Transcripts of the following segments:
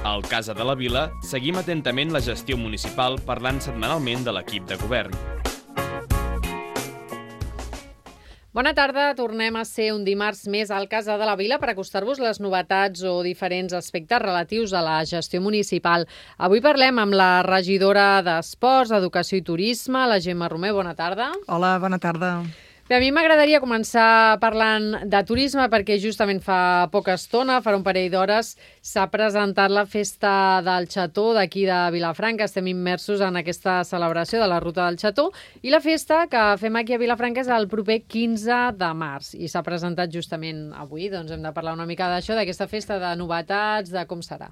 Al Casa de la Vila seguim atentament la gestió municipal parlant setmanalment de l'equip de govern. Bona tarda, tornem a ser un dimarts més al Casa de la Vila per acostar-vos les novetats o diferents aspectes relatius a la gestió municipal. Avui parlem amb la regidora d'Esports, Educació i Turisme, la Gemma Romer. Bona tarda. Hola, bona tarda. Bé, a mi m'agradaria començar parlant de turisme perquè justament fa poca estona, farà un parell d'hores, s'ha presentat la festa del Xató d'aquí de Vilafranca. Estem immersos en aquesta celebració de la Ruta del Xató i la festa que fem aquí a Vilafranca és el proper 15 de març i s'ha presentat justament avui. Doncs hem de parlar una mica d'això, d'aquesta festa, de novetats, de com serà.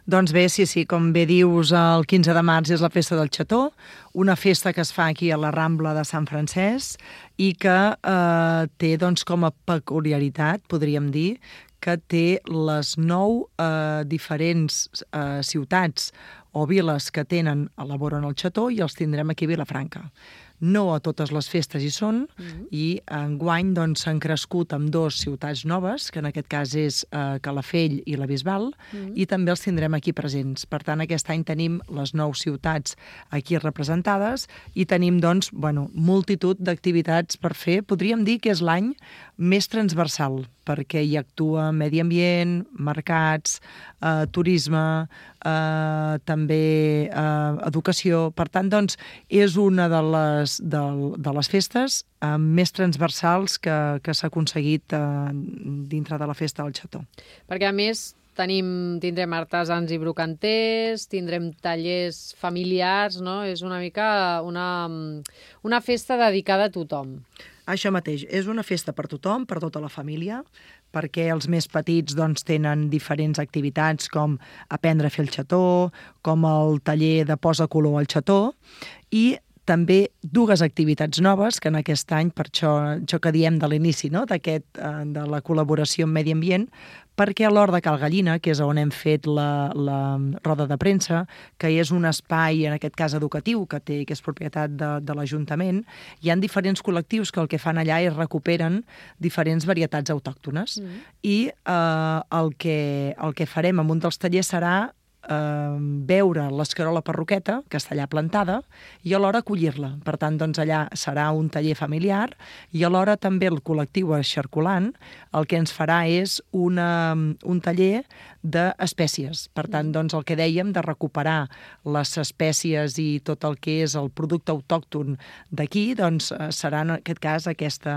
Doncs bé, sí, com bé dius, el 15 de març és la festa del Xató, una festa que es fa aquí a la Rambla de Sant Francesc i que té doncs, com a peculiaritat, podríem dir, que té les 9 diferents ciutats o viles que elaboren el Xató i els tindrem aquí a Vilafranca. No a totes les festes hi són i enguany s'han crescut amb 2 ciutats noves, que en aquest cas és Calafell i la Bisbal, i també els tindrem aquí presents. Per tant, aquest any tenim les 9 ciutats aquí representades i tenim multitud d'activitats per fer. Podríem dir que és l'any més transversal, perquè hi actua medi ambient, mercats, turisme, també educació. Per tant, és una de les festes més transversals que s'ha aconseguit dintre de la festa del Xató. Perquè, a més, tindrem artesans i brocanters, tindrem tallers familiars, no? És una mica una festa dedicada a tothom. Això mateix, és una festa per tothom, per tota la família, perquè els més petits tenen diferents activitats com aprendre a fer el xató, com el taller de posa color al xató, i també 2 activitats noves que en aquest any, per això que diem de l'inici, no? De la col·laboració amb Medi Ambient, perquè a l'Hort de Cal Gallina, que és on hem fet la roda de premsa, que és un espai, en aquest cas educatiu, que és propietat de l'Ajuntament, hi ha diferents col·lectius que el que fan allà és recuperen diferents varietats autòctones. I el que farem en un dels tallers serà veure l'escarola perroqueta, que està allà plantada, i alhora collir-la. Per tant, allà serà un taller familiar i alhora també el col·lectiu Xarculant el que ens farà és un taller d'espècies. Per tant, el que dèiem de recuperar les espècies i tot el que és el producte autòcton d'aquí, serà en aquest cas aquest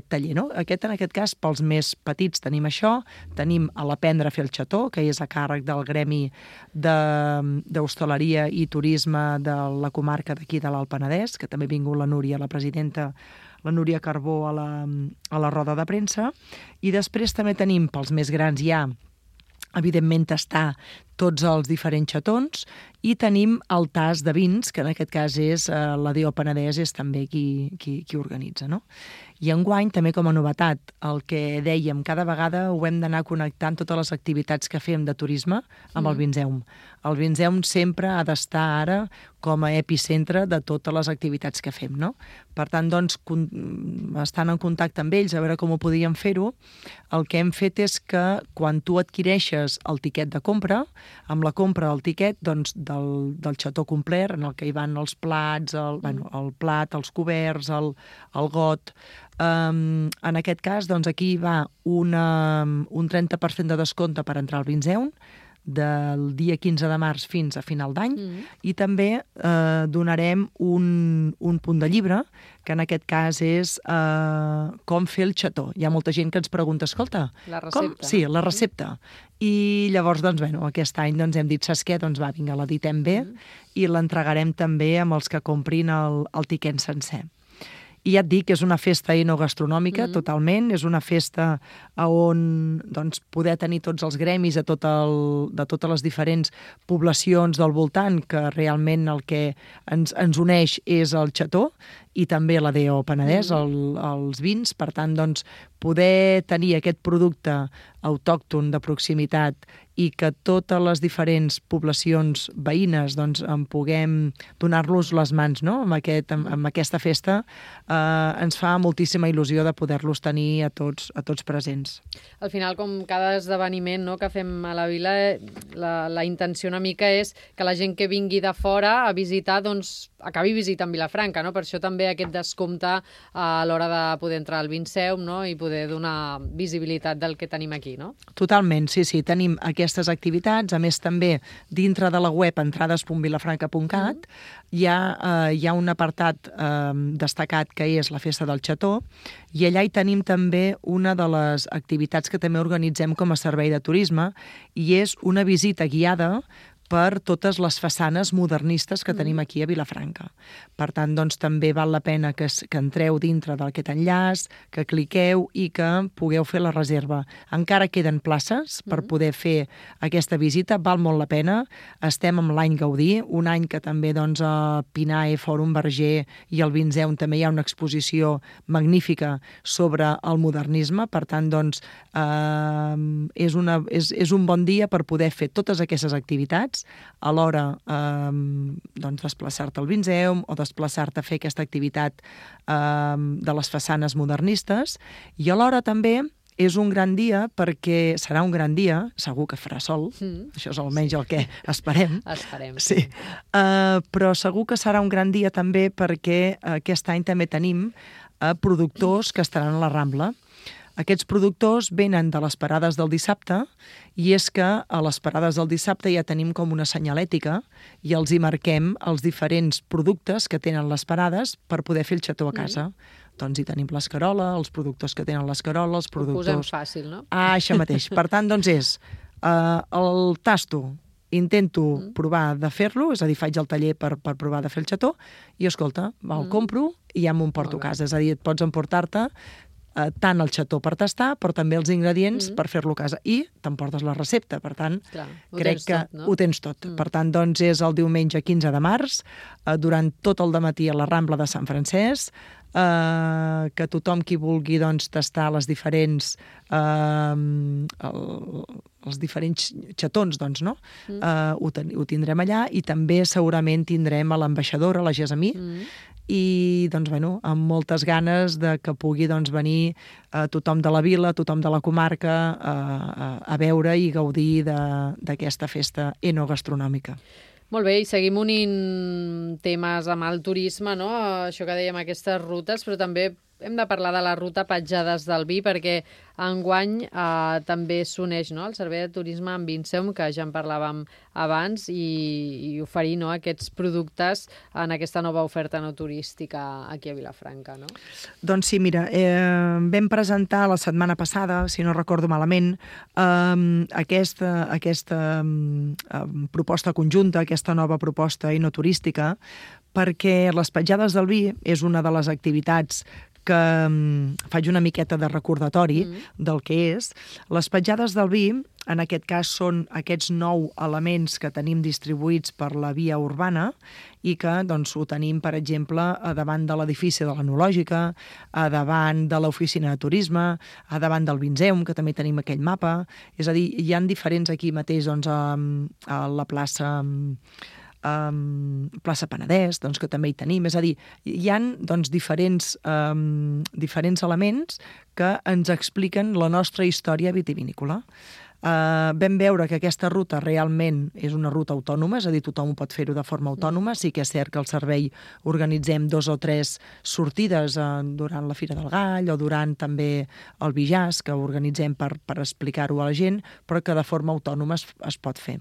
taller. No? En aquest cas, pels més petits tenim això, tenim a l'aprendre a fer el xató, que és a càrrec del gremi d'hostaleria i turisme de la comarca d'aquí de l'Alt Penedès, que també ha vingut la Núria, la presidenta, la Núria Carbó a la roda de premsa, i després també tenim pels més grans ja, evidentment, tastar tots els diferents xatons, i tenim el tas de vins, que en aquest cas és la DO Penedès, és també qui organitza, no? I enguany, també com a novetat, el que dèiem, cada vegada ho hem d'anar connectant totes les activitats que fem de turisme amb el Vinseum. El Vinseum sempre ha d'estar ara com a epicentre de totes les activitats que fem, no? Per tant, estant en contacte amb ells, a veure com ho podíem fer-ho, el que hem fet és que quan tu adquireixes el tiquet de compra, amb la compra del tiquet del xató complet, en el que hi van els plats, el plat, els coberts, el got. En aquest cas, aquí hi va un 30% de descompte per entrar al Vinseum, del dia 15 de març fins a final d'any, i també donarem un punt de llibre, que en aquest cas és com fer el xató. Hi ha molta gent que ens pregunta, escolta... La recepta. Sí, la recepta. I llavors, aquest any hem dit, saps què? Vinga, l'editem bé i l'entregarem també amb els que comprin el tiquet sencer. I ja et dic que és una festa enogastronòmica, totalment. És una festa on poder tenir tots els gremis de totes les diferents poblacions del voltant, que realment el que ens uneix és el xató, i també la DO Penedès, els vins. Per tant, poder tenir aquest producte autòcton de proximitat i que totes les diferents poblacions veïnes doncs, en puguem donar-los les mans, no? amb aquesta festa, ens fa moltíssima il·lusió de poder-los tenir a tots presents. Al final, com cada esdeveniment, no, que fem a la vila, la intenció una mica és que la gent que vingui de fora a visitar doncs, acabi visitant Vilafranca, no? Per això també aquest descompte a l'hora de poder entrar al Vinceum, no? I poder donar visibilitat del que tenim aquí, no? Totalment, sí, tenim aquestes activitats, a més també dintre de la web entrades.vilafranca.cat hi ha un apartat destacat que és la Festa del Xató, i allà hi tenim també una de les activitats que també organitzem com a servei de turisme, i és una visita guiada per totes les façanes modernistes que tenim aquí a Vilafranca. Per tant, doncs, també val la pena que entreu dintre d'aquest enllaç, que cliqueu i que pugueu fer la reserva. Encara queden places per poder fer aquesta visita, val molt la pena. Estem amb l'any Gaudí, un any que també doncs, a Pinae, Fòrum Verger i al Vinceum també hi ha una exposició magnífica sobre el modernisme. Per tant, doncs, és un bon dia per poder fer totes aquestes activitats, alhora doncs, desplaçar-te al Vinceum o desplaçar-te a fer aquesta activitat de les façanes modernistes, i alhora també és un gran dia perquè serà un gran dia, segur que farà sol, això és almenys el que esperem. Esperem. Sí. Però segur que serà un gran dia també perquè aquest any també tenim productors que estaran a la Rambla. Aquests productors venen de les parades del dissabte, i és que a les parades del dissabte ja tenim com una senyalètica i els hi marquem els diferents productes que tenen les parades per poder fer el xató a casa. Doncs hi tenim l'escarola, els productors que tenen l'escarola, els productors... Ho posem fàcil, no? Això mateix. Per tant, doncs és el tasto, intento provar de fer-lo, és a dir, faig el taller per provar de fer el xató, i escolta, el compro i ja m'ho emporto a casa. És a dir, et pots emportar-te tant el xató per tastar, però també els ingredients per fer-lo a casa. I t'emportes la recepta, per tant, crec que ho tens tot. Per tant, doncs, és el diumenge 15 de març, durant tot el dematí a la Rambla de Sant Francesc, que tothom qui vulgui doncs, tastar les diferents els diferents xatons, doncs, no? Ho tindrem allà, i també segurament tindrem a l'ambaixadora, la Gesamí, i doncs, bueno, amb moltes ganes de que pugui doncs, venir tothom de la vila, tothom de la comarca a veure i gaudir d'aquesta festa enogastronòmica. Molt bé, i seguim unint temes amb el turisme, no? Això que dèiem, aquestes rutes, però també hem de parlar de la ruta Petjades del Vi, perquè enguany també s'uneix, no, el Servei de Turisme amb Vinceum, que ja en parlàvem abans, i oferir, no, aquests productes en aquesta nova oferta no turística aquí a Vilafranca, no? Doncs sí, mira, vam presentar la setmana passada, si no recordo malament, aquesta proposta conjunta, aquesta nova proposta enoturística, perquè les Petjades del Vi és una de les activitats que faig una miqueta de recordatori del que és. Les Petjades del Vi, en aquest cas, són aquests 9 elements que tenim distribuïts per la via urbana i que doncs, ho tenim, per exemple, a davant de l'edifici de l'Enològica, a davant de l'oficina de turisme, a davant del Vinceum, que també tenim aquell mapa. És a dir, hi ha diferents aquí mateix doncs, a la plaça Penedès, doncs, que també hi tenim. És a dir, hi ha doncs, diferents elements que ens expliquen la nostra història vitivinícola. Vam veure que aquesta ruta realment és una ruta autònoma, és a dir, tothom ho pot fer-ho de forma autònoma. Sí que és cert que al servei organitzem 2 o 3 sortides durant la Fira del Gall o durant també el Bijàs, que organitzem per explicar-ho a la gent, però que de forma autònoma es pot fer.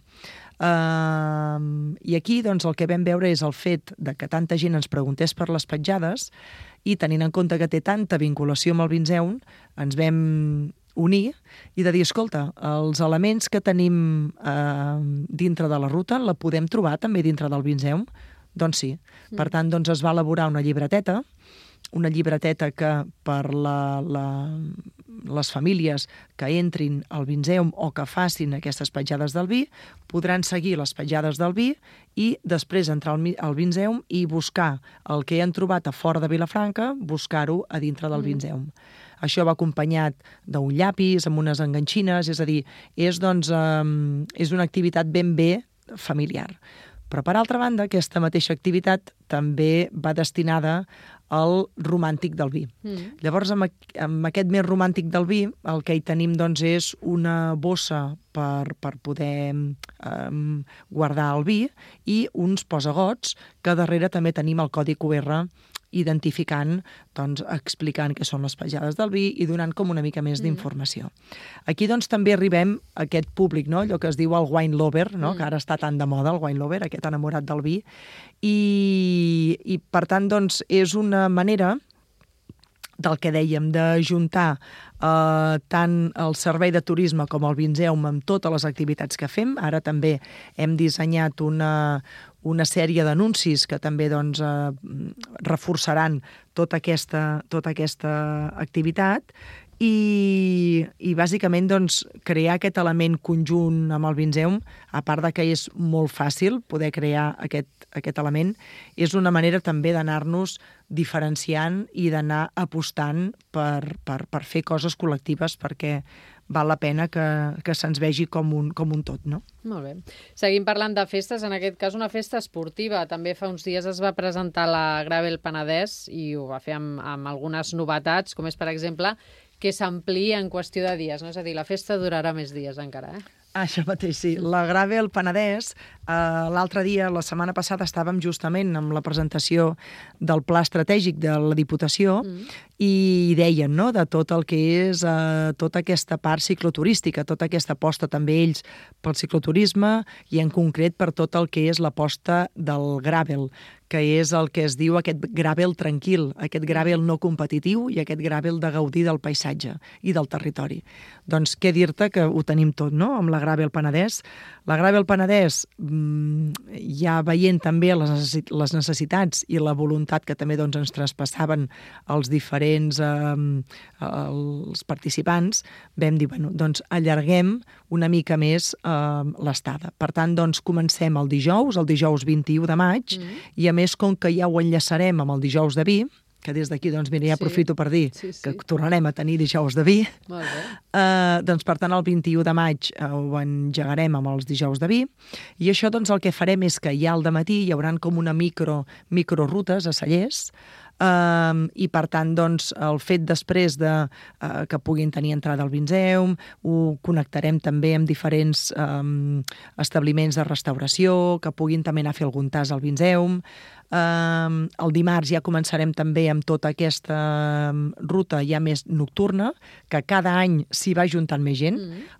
I aquí doncs, el que vam veure és el fet de que tanta gent ens preguntés per les petjades, i tenint en compte que té tanta vinculació amb el Vinceum, ens vam unir i de dir, escolta, els elements que tenim dintre de la ruta la podem trobar també dintre del Vinceum? Doncs sí. Per tant, doncs, es va elaborar una llibreteta que per les famílies que entrin al Vinceum o que facin aquestes petjades del vi podran seguir les petjades del vi i després entrar al Vinceum i buscar el que han trobat a fora de Vilafranca, buscar-ho a dintre del Vinceum. això va acompanyat d'un llapis, amb unes enganxines, és a dir, és una activitat ben bé familiar. Però, per altra banda, aquesta mateixa activitat també va destinada al romàntic del vi. Llavors, amb aquest mes romàntic del vi, el que hi tenim és una bossa per poder guardar el vi i uns posagots, que darrere també tenim el codi QR identificant, explicant què són les petjades del vi i donant com una mica més d'informació. Aquí també arribem a aquest públic, no? Allò que es diu el wine lover, no? Que ara està tan de moda, el wine lover, aquest enamorat del vi, i per tant és una manera del que dèiem, d'ajuntar tant el servei de turisme com el Vinzeum amb totes les activitats que fem. Ara també hem dissenyat una sèrie d'anuncis que també reforçaran tota aquesta activitat i bàsicament crear aquest element conjunt amb el Vinzeum, a part de que és molt fàcil poder crear aquest element, és una manera també d'anar-nos diferenciant i d'anar apostant per fer coses col·lectives, perquè val la pena que se'ns vegi com un tot, no? Molt bé. Seguim parlant de festes, en aquest cas una festa esportiva. També fa uns dies es va presentar la Gravel Penedès i ho va fer amb algunes novetats, com és, per exemple, que s'ampliï en qüestió de dies, no? És a dir, la festa durarà més dies encara, Això mateix, sí. La Gravel Penedès, l'altre dia, la setmana passada, estàvem justament amb la presentació del Pla Estratègic de la Diputació i deien, no?, de tot el que és tota aquesta part cicloturística, tota aquesta aposta també ells pel cicloturisme i en concret per tot el que és l'aposta del gravel, que és el que es diu aquest gravel tranquil, aquest gravel no competitiu i aquest gravel de gaudir del paisatge i del territori. Doncs què dir-te que ho tenim tot, no?, amb la Gravel Penedès. La Gravel Penedès, ja veient també les necessitats i la voluntat que també ens traspassaven els diferents els participants, vam dir, allarguem una mica més l'estada. Per tant, comencem el dijous 21 de maig, i a més, com que ja ho enllaçarem amb el dijous de vi, que des d'aquí, ja aprofito per dir que tornarem a tenir dijous de vi. Molt bé. Per tant, el 21 de maig ho engegarem amb els dijous de vi, i això el que farem és que ja al dematí hi haurà com una microrutes a Cellers, i per tant el fet després que puguin tenir entrada al Vinzeum, ho connectarem també amb diferents establiments de restauració, que puguin també anar a fer algun tas al Vinzeum. El dimarts ja començarem també amb tota aquesta ruta ja més nocturna, que cada any s'hi va juntant més gent.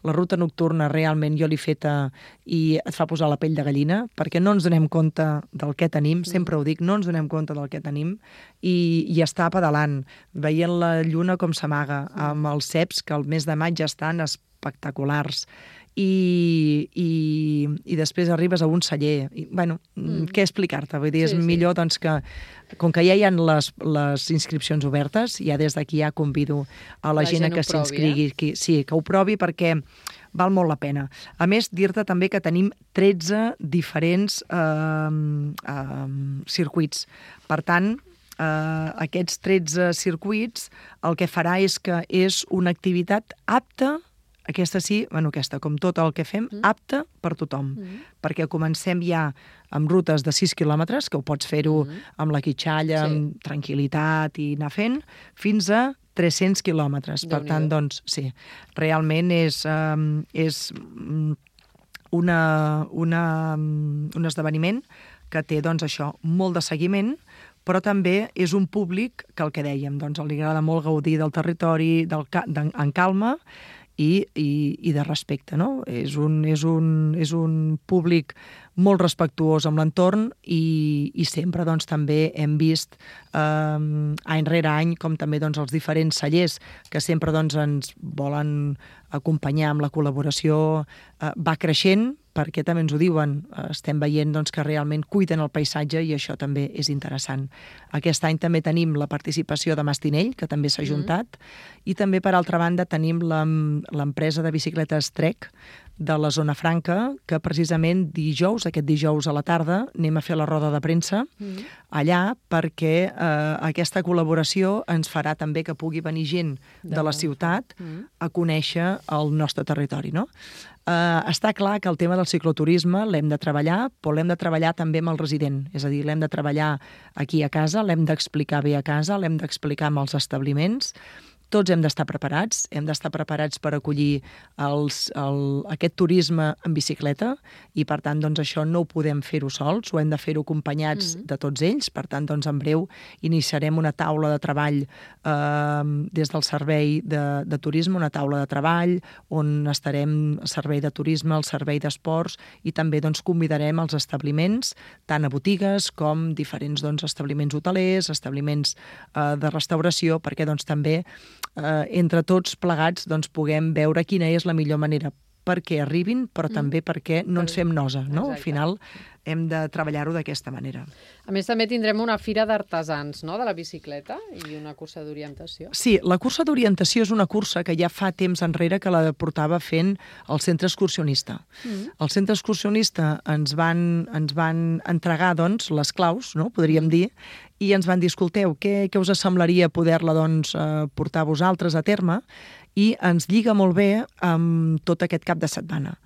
La ruta nocturna realment jo l'he feta i et fa posar la pell de gallina, perquè no ens donem compte del que tenim, sempre ho dic, no ens donem compte del que tenim, i està pedalant, veient la lluna com s'amaga, amb els ceps que al mes de maig ja estan espectaculars, i després arribes a un celler. Què explicar-te? Vull dir, és millor que, com que ja hi ha les inscripcions obertes, ja des d'aquí ja convido a la gent que s'inscrigui, que ho provi, perquè val molt la pena. A més, dir-te també que tenim 13 diferents circuits. Per tant, aquests 13 circuits el que farà és que és una activitat apta, aquesta sí, com tot el que fem, apta per tothom, perquè comencem ja amb rutes de 6 quilòmetres, que ho pots fer-ho amb la quitxalla, amb tranquil·litat i anar fent, fins a 300 quilòmetres. Per tant, sí, realment és un esdeveniment que té, això, molt de seguiment, però també és un públic que, el que dèiem, li agrada molt gaudir del territori en calma i de respecte, no? És un públic molt respectuós amb l'entorn i sempre també hem vist any rere any com també els diferents cellers que sempre ens volen acompanyar amb la col·laboració va creixent, perquè també ens ho diuen, estem veient que realment cuiden el paisatge i això també és interessant. Aquest any també tenim la participació de Mastinell, que també s'ha juntat, i també, per altra banda, tenim l'empresa de bicicletes Trek, de la Zona Franca, que precisament aquest dijous a la tarda, anem a fer la roda de premsa allà, perquè aquesta col·laboració ens farà també que pugui venir gent de la ciutat a conèixer el nostre territori, no? Està clar que el tema del cicloturisme l'hem de treballar, però l'hem de treballar també amb el resident. És a dir, l'hem de treballar aquí a casa, l'hem d'explicar bé a casa, l'hem d'explicar amb els establiments. Tots hem d'estar preparats per acollir aquest turisme en bicicleta i, per tant, doncs, això no ho podem fer-ho sols, ho hem de fer-ho acompanyats de tots ells. Per tant, doncs, en breu iniciarem una taula de treball des del servei de turisme, una taula de treball on estarem el servei de turisme, el servei d'esports i també doncs, convidarem els establiments, tant a botigues com diferents establiments hotelers, establiments de restauració, perquè doncs, també entre tots plegats puguem veure quina és la millor manera perquè arribin, però també perquè no ens fem nosa, no? Al final hem de treballar-ho d'aquesta manera. A més, també tindrem una fira d'artesans, no?, de la bicicleta i una cursa d'orientació. Sí, la cursa d'orientació és una cursa que ja fa temps enrere que la portava fent el centre excursionista. El centre excursionista ens van entregar, doncs, les claus, no?, podríem dir, i ens van dir, escolteu, què us semblaria poder-la, doncs, portar vosaltres a terme? I ens lliga molt bé amb tot aquest cap de setmana.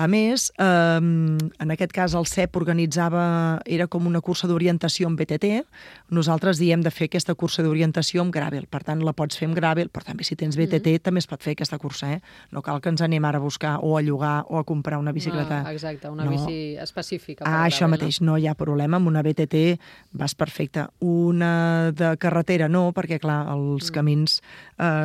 A més, en aquest cas el CEP era com una cursa d'orientació amb BTT. Nosaltres diem de fer aquesta cursa d'orientació amb gravel. Per tant, la pots fer amb gravel, però també si tens BTT també es pot fer aquesta cursa. No cal que ens anem ara a buscar o a llogar o a comprar una bicicleta. Exacte, una bici específica. Això mateix, no hi ha problema. Amb una BTT vas perfecte. Una de carretera no, perquè clar, els camins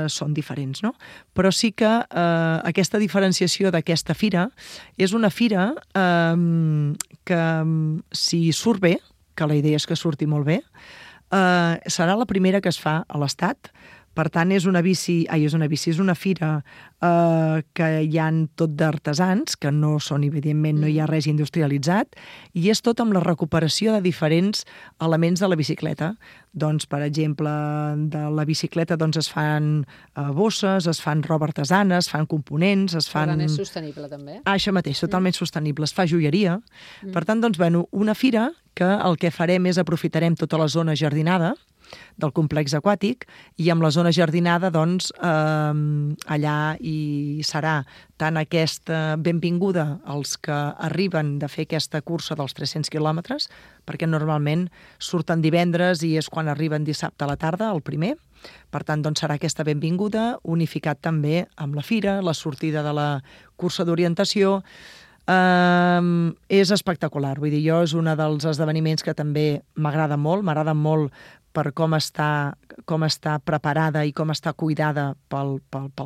són diferents, no? Però sí que aquesta diferenciació d'aquesta fira és una fira que, si surt bé, que la idea és que surti molt bé, serà la primera que es fa a l'Estat. Per tant, és una fira que hi ha tot d'artesans, que no són, evidentment, no hi ha res industrialitzat, i és tot amb la recuperació de diferents elements de la bicicleta. Doncs, per exemple, de la bicicleta es fan bosses, es fan roba artesana, es fan components, es fan... Per tant, és sostenible, també. Això mateix, totalment sostenible. Es fa joieria. Per tant, doncs, una fira que el que farem és aprofitarem tota la zona jardinada del complex aquàtic i amb la zona jardinada, doncs, allà hi serà tant aquesta benvinguda als que arriben de fer aquesta cursa dels 300 quilòmetres, perquè normalment surten divendres i és quan arriben dissabte a la tarda, el primer. Per tant, doncs, serà aquesta benvinguda, unificat també amb la fira, la sortida de la cursa d'orientació. És espectacular, vull dir, és un dels esdeveniments que també m'agrada molt per com està preparada i com està cuidada pel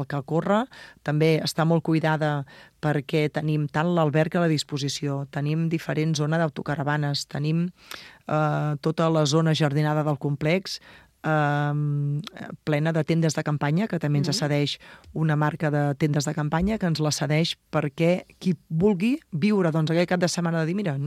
que corre. També està molt cuidada perquè tenim tant l'alberg a la disposició, tenim diferents zones d'autocaravanes, tenim tota la zona jardinada del complex, plena de tendes de campanya, que també ens cedeix una marca de tendes de campanya, que ens la cedeix perquè qui vulgui viure aquell cap de setmana de dir, mira,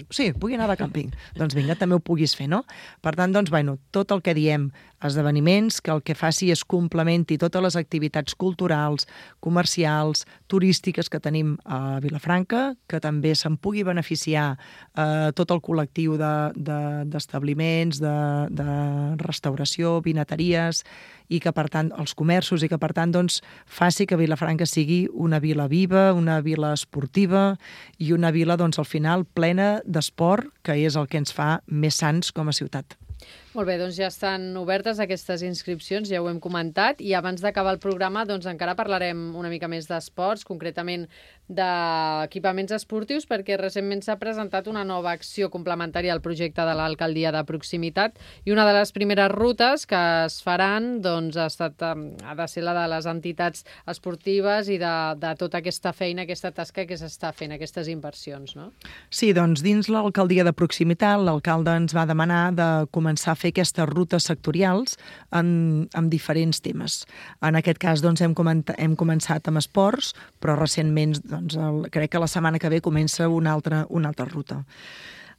sí, vull anar de càmping, doncs vinga, també ho puguis fer, no? Per tant, doncs, tot el que diem, esdeveniments, que el que faci és complementi totes les activitats culturals, comercials, turístiques que tenim a Vilafranca, que també se'n pugui beneficiar tot el col·lectiu d'establiments, de restauració, vinateries, i que, per tant, els comerços, i que, per tant, doncs, faci que Vilafranca sigui una vila viva, una vila esportiva i una vila, doncs, al final, plena d'esport, que és el que ens fa més sants com a ciutat. Molt bé, doncs ja estan obertes aquestes inscripcions, ja ho hem comentat, i abans d'acabar el programa doncs encara parlarem una mica més d'esports, concretament d'equipaments esportius, perquè recentment s'ha presentat una nova acció complementària al projecte de l'alcaldia de proximitat, i una de les primeres rutes que es faran doncs, ha de ser la de les entitats esportives i de tota aquesta feina, aquesta tasca que s'està fent, aquestes inversions, no? Sí, doncs dins l'alcaldia de proximitat l'alcalde ens va demanar de començar a fer aquestes rutes sectorials amb diferents temes. En aquest cas doncs, hem començat amb esports, però recentment crec que la setmana que ve comença una altra ruta.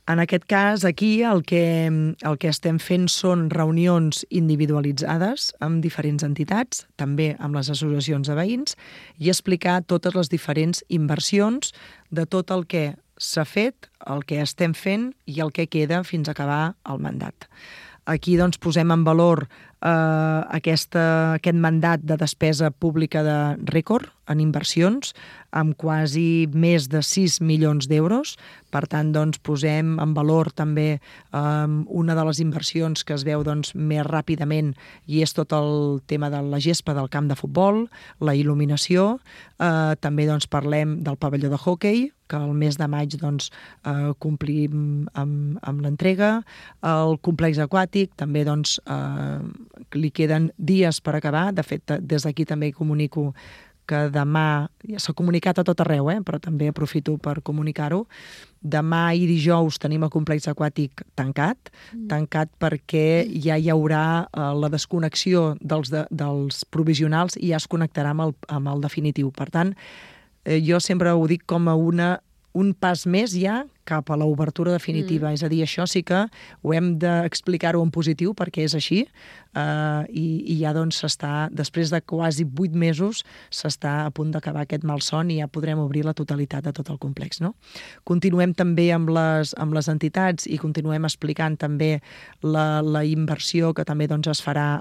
En aquest cas, aquí el que estem fent són reunions individualitzades amb diferents entitats, també amb les associacions de veïns, i explicar totes les diferents inversions de tot el que s'ha fet, el que estem fent i el que queda fins a acabar el mandat. Aquí doncs, posem en valor aquest mandat de despesa pública de rècord en inversions, amb quasi més de 6 milions d'euros. Per tant, doncs, posem en valor també una de les inversions que es veu doncs, més ràpidament, i és tot el tema de la gespa del camp de futbol, la il·luminació. També doncs, parlem del pavelló de hoquei, que el mes de maig doncs, complim amb l'entrega. El complex aquàtic també doncs, li queden dies per acabar. De fet, des d'aquí també comunico que demà, ja s'ha comunicat a tot arreu, però també aprofito per comunicar-ho, demà i dijous tenim el complex aquàtic tancat perquè ja hi haurà la desconnexió dels provisionals i ja es connectarà amb el definitiu. Per tant, jo sempre ho dic com a un pas més ja cap a l'obertura definitiva. És a dir, això sí que ho hem d'explicar-ho en positiu perquè és així i ja doncs s'està, després de quasi 8 mesos, s'està a punt d'acabar aquest malson i ja podrem obrir la totalitat de tot el complex. No? Continuem també amb les entitats i continuem explicant també la inversió que també doncs, es farà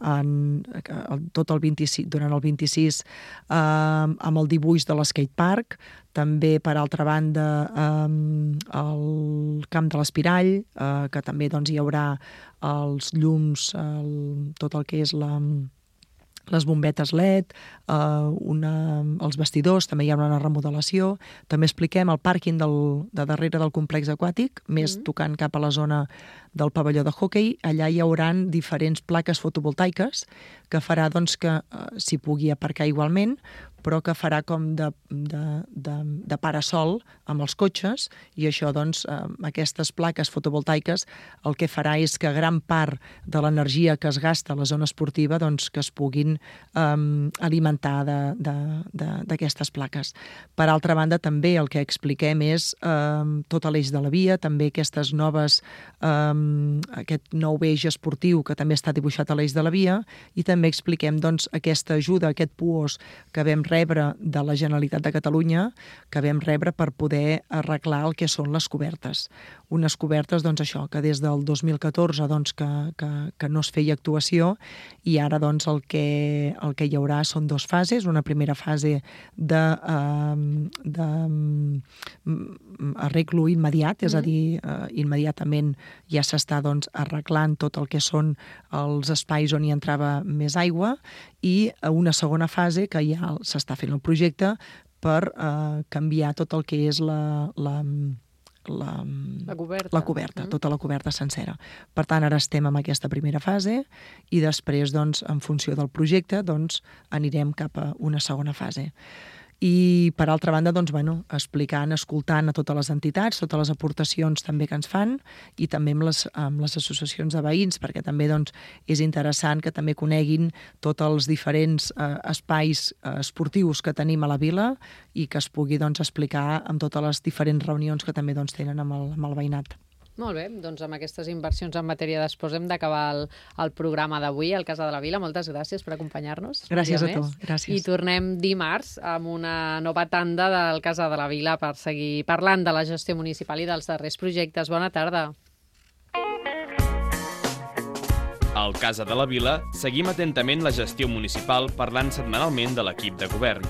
tot el 26, durant el 26 amb el dibuix de l'skatepark, també, per altra banda, el camp de l'Espirall, que també doncs, hi haurà els llums, tot el que és les bombetes LED, els vestidors, també hi haurà una remodelació. També expliquem el pàrquing de darrere del complex aquàtic, més tocant cap a la zona del pavelló de hoquei. Allà hi haurà diferents plaques fotovoltaiques que farà doncs, que s'hi pugui aparcar igualment, però que farà com de parasol amb els cotxes, i això, doncs, aquestes plaques fotovoltaiques el que farà és que gran part de l'energia que es gasta a la zona esportiva doncs, que es puguin alimentar d'aquestes plaques. Per altra banda, també el que expliquem és tot l'eix de la via, també aquest nou eix esportiu que també està dibuixat a l'eix de la via, i també expliquem doncs, aquesta ajuda, aquest PUOS que vam rebre de la Generalitat de Catalunya, que vam rebre per poder arreglar el que són les cobertes. Unes cobertes, doncs això, que des del 2014 doncs, que no es feia actuació, i ara doncs, el que hi haurà són 2 fases. Una primera fase d'arreglo immediat, és a dir, immediatament ja s'està doncs, arreglant tot el que són els espais on hi entrava més aigua, i una segona fase que ja s'està fent el projecte per canviar tot el que és la coberta, tota la coberta sencera. Per tant, ara estem en aquesta primera fase i després, doncs, en funció del projecte, doncs, anirem cap a una segona fase. I, per altra banda, doncs, explicant, escoltant a totes les entitats, totes les aportacions també que ens fan, i també amb les associacions de veïns, perquè també doncs, és interessant que també coneguin tots els diferents espais esportius que tenim a la vila i que es pugui doncs, explicar amb totes les diferents reunions que també doncs, tenen amb el veïnat. Molt bé, doncs amb aquestes inversions en matèria d'esports hem d'acabar el programa d'avui al Casa de la Vila. Moltes gràcies per acompanyar-nos. Gràcies a tu, gràcies. I tornem dimarts amb una nova tanda del Casa de la Vila per seguir parlant de la gestió municipal i dels darrers projectes. Bona tarda. Al Casa de la Vila seguim atentament la gestió municipal parlant setmanalment de l'equip de govern.